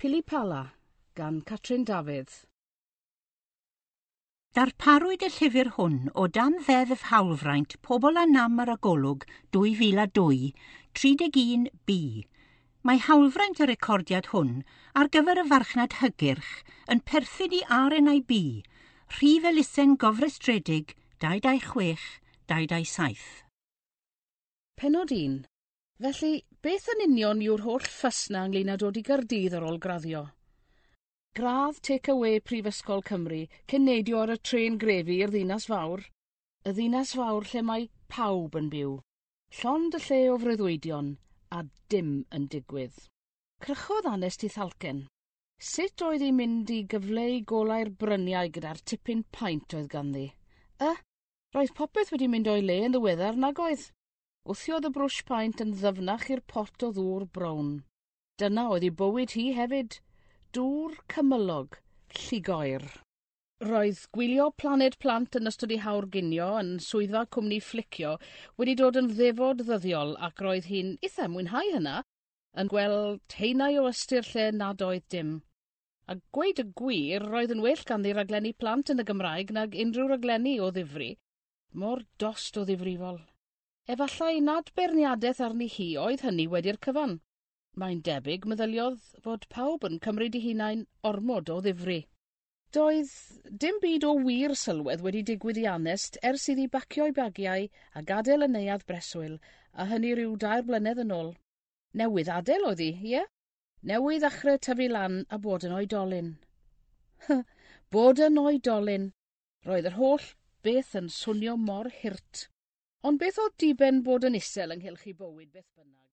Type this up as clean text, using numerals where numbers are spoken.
Pili Pala gan Catrin Dafydd. Darparwyd y llyfr hwn o dan Ddeddf Hawlfraint Pobl â Nam ar y Golwg 2002, 31B. Mae hawlfraint y recordiad hwn ar gyfer y farchnad hygyrch yn perthyn i RNIB, rhif elusen gofrestredig 226 227. Pennod 1. Felly, beth yn union yw'r holl ffys 'na ynglŷn â dod i Gaerdydd ar ôl graddio? Gradd take-away Prifysgol Cymru cyn neidio ar y trên grefi i'r ddinas fawr. Y ddinas fawr lle mae pawb yn byw. Llond y lle o freuddwydion, a dim yn digwydd. Crychodd Anest ei thalcen. Sut oedd hi'n mynd i gyfleu golau'r bryniau gyda'r tipyn paent oedd ganddi? Y, roedd popeth wedi mynd o'i le yn ddiweddar nag oedd? Gwthiodd y brwsh paent yn ddyfnach i'r pot o ddŵr brown. Dyna oedd ei bywyd hi hefyd. Dŵr cymylog, llugoer. Roedd gwylio Planed Plant yn ystod ei hawr ginio yn swyddfa cwmni Flicio wedi dod yn ddefod ddyddiol ac roedd hi'n eitha mwynhau hynna, yn gweld haenau o ystyr lle nad oedd dim. A gweud y gwir, roedd yn well ganddi raglenni plant yn y Gymraeg nag unrhyw raglenni o ddifri. Mor dost o ddifrifol. Efallai nad beirniadaeth arni hi oedd hynny wedi'r cyfan. Mae'n debyg, meddyliodd, fod pawb yn cymryd eu hunain ormod o ddifri. Doedd dim byd o wir sylwedd wedi digwydd i Anest ers iddi bacio'i bagiau a gadael y neuadd breswyl, a hynny rhyw 3 blynedd yn ôl. Newydd adael oedd hi, ie? Newydd ddechrau tyfu lan a bod yn oedolyn. Bod yn oedolyn. Roedd yr holl beth yn swnio mor hurt. Ond beth oedd diben bod yn isel ynghylch ei bywyd beth bynnag?